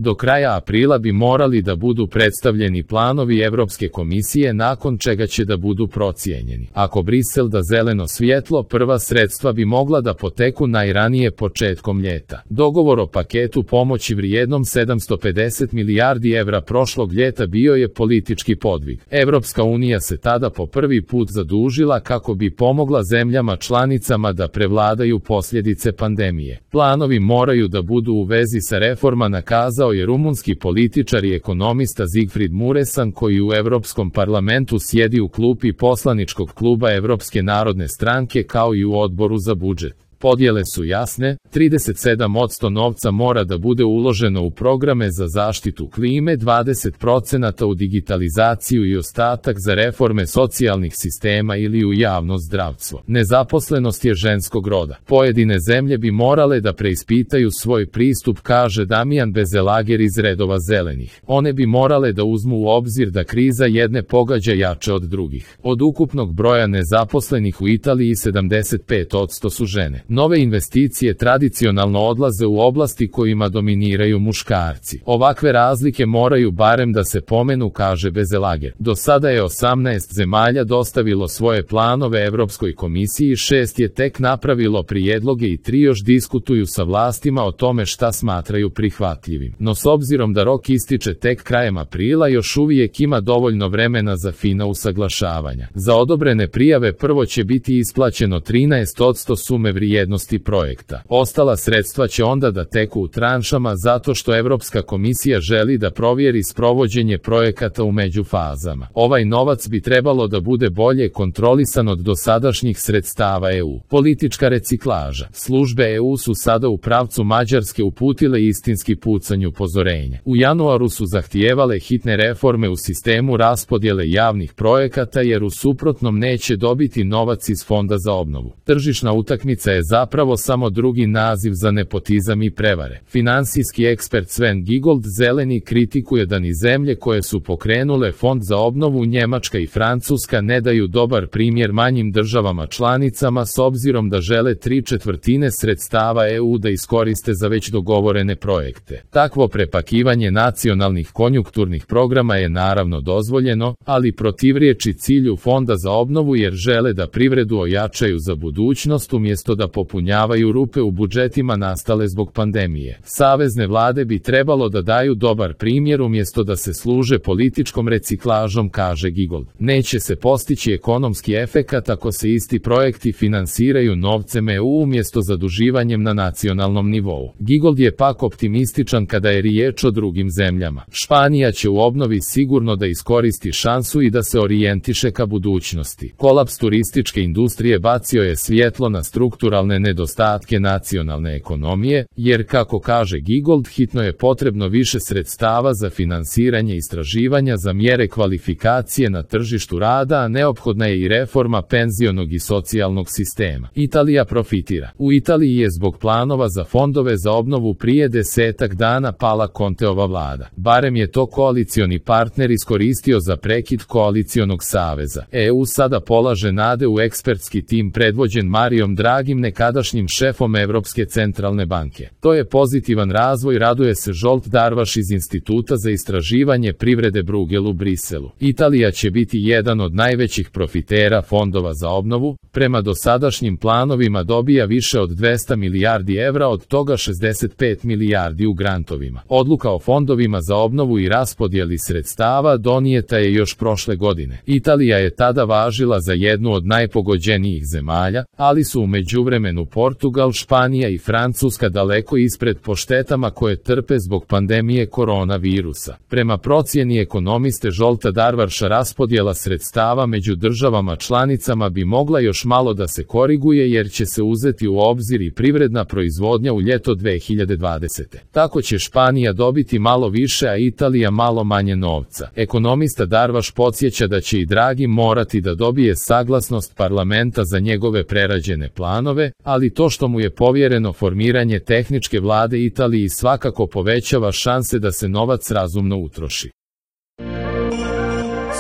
Do kraja aprila bi morali da budu predstavljeni planovi Evropske komisije, nakon čega će da budu procijenjeni. Ako Brisel da zeleno svjetlo, prva sredstva bi mogla da poteku najranije početkom ljeta. Dogovor o paketu pomoći vrijednom 750 milijardi evra prošlog ljeta bio je politički podvig. Evropska unija se tada po prvi put zadužila kako bi pomogla zemljama članicama da prevladaju posljedice pandemije. Planovi moraju da budu u vezi sa reforma, nakazao je rumunski političar i ekonomista Zigfrid Muresan, koji u Evropskom parlamentu sjedi u klupi poslaničkog kluba Evropske narodne stranke kao i u odboru za budžet. Podjele su jasne, 37% novca mora da bude uloženo u programe za zaštitu klime, 20% u digitalizaciju i ostatak za reforme socijalnih sistema ili u javno zdravstvo. Nezaposlenost je ženskog roda. Pojedine zemlje bi morale da preispitaju svoj pristup, kaže Damijan Bezelager iz redova zelenih. One bi morale da uzmu u obzir da kriza jedne pogađa jače od drugih. Od ukupnog broja nezaposlenih u Italiji 75% su žene. Nove investicije tradicionalno odlaze u oblasti kojima dominiraju muškarci. Ovakve razlike moraju barem da se pomenu, kaže Bezelager. Do sada je 18 zemalja dostavilo svoje planove Evropskoj komisiji, 6 je tek napravilo prijedloge i 3 još diskutuju sa vlastima o tome šta smatraju prihvatljivim. No s obzirom da rok ističe tek krajem aprila, još uvijek ima dovoljno vremena za fina usaglašavanja. Za odobrene prijave prvo će biti isplaćeno 13% sume vrijednosti projekta. Ostala sredstva će onda da teku u tranšama zato što Evropska komisija želi da provjeri sprovođenje projekata u međufazama. Ovaj novac bi trebalo da bude bolje kontrolisan od dosadašnjih sredstava EU. Politička reciklaža. Službe EU su sada u pravcu Mađarske uputile istinski pucanj upozorenja. U januaru su zahtijevale hitne reforme u sistemu raspodjele javnih projekata, jer u suprotnom neće dobiti novac iz Fonda za obnovu. Tržišna utakmica je zapravo samo drugi naziv za nepotizam i prevare. Finansijski ekspert Sven Giegold zeleni kritikuje da ni zemlje koje su pokrenule Fond za obnovu, Njemačka i Francuska, ne daju dobar primjer manjim državama članicama, s obzirom da žele 3/4 sredstava EU da iskoriste za već dogovorene projekte. Takvo prepakivanje nacionalnih konjunkturnih programa je naravno dozvoljeno, ali protivrječi cilju Fonda za obnovu, jer žele da privredu ojačaju za budućnost umjesto da popunjavaju rupe u budžetima nastale zbog pandemije. Savezne vlade bi trebalo da daju dobar primjer umjesto da se služe političkom reciklažom, kaže Giegold. Neće se postići ekonomski efekat ako se isti projekti finansiraju novcem EU umjesto zaduživanjem na nacionalnom nivou. Giegold je pak optimističan kada je riječ o drugim zemljama. Španija će u obnovi sigurno da iskoristi šansu i da se orijentiše ka budućnosti. Kolaps turističke industrije bacio je svjetlo na strukturalne nedostatke nacionalne ekonomije, jer kako kaže Giegold, hitno je potrebno više sredstava za finansiranje istraživanja za mjere kvalifikacije na tržištu rada, a neophodna je i reforma penzionog i socijalnog sistema. Italija profitira. U Italiji je zbog planova za fondove za obnovu prije 10 dana pala Conteova vlada. Barem je to koalicioni partner iskoristio za prekid koalicionog saveza. EU sada polaže nade u ekspertski tim predvođen Marijom Dragim, nekadašnjim šefom Evropske centralne banke. To je pozitivan razvoj, raduje se Zsolt Darvaš iz Instituta za istraživanje privrede Bruegel u Briselu. Italija će biti jedan od najvećih profitera fondova za obnovu, prema dosadašnjim planovima dobija više od 200 milijardi evra, od toga 65 milijardi u grantovima. Odluka o fondovima za obnovu i raspodjeli sredstava donijeta je još prošle godine. Italija je tada važila za jednu od najpogođenijih zemalja, ali su u međuvremenu Portugal, Španija i Francuska daleko ispred po štetama koje trpe zbog pandemije koronavirusa. Prema procjeni ekonomiste Zsolta Darvaša, raspodjela sredstava među državama članicama bi mogla još malo da se koriguje, jer će se uzeti u obzir i privredna proizvodnja u ljeto 2020. Tako će Španija dobiti malo više, a Italija malo manje novca. Ekonomista Darvaš podsjeća da će i Draghi morati da dobije saglasnost parlamenta za njegove prerađene planove, ali to što mu je povjereno formiranje tehničke vlade Italiji svakako povećava šanse da se novac razumno utroši.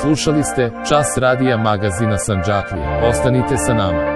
Slušali ste Čas radija magazina Sandžaklije. Ostanite sa nama.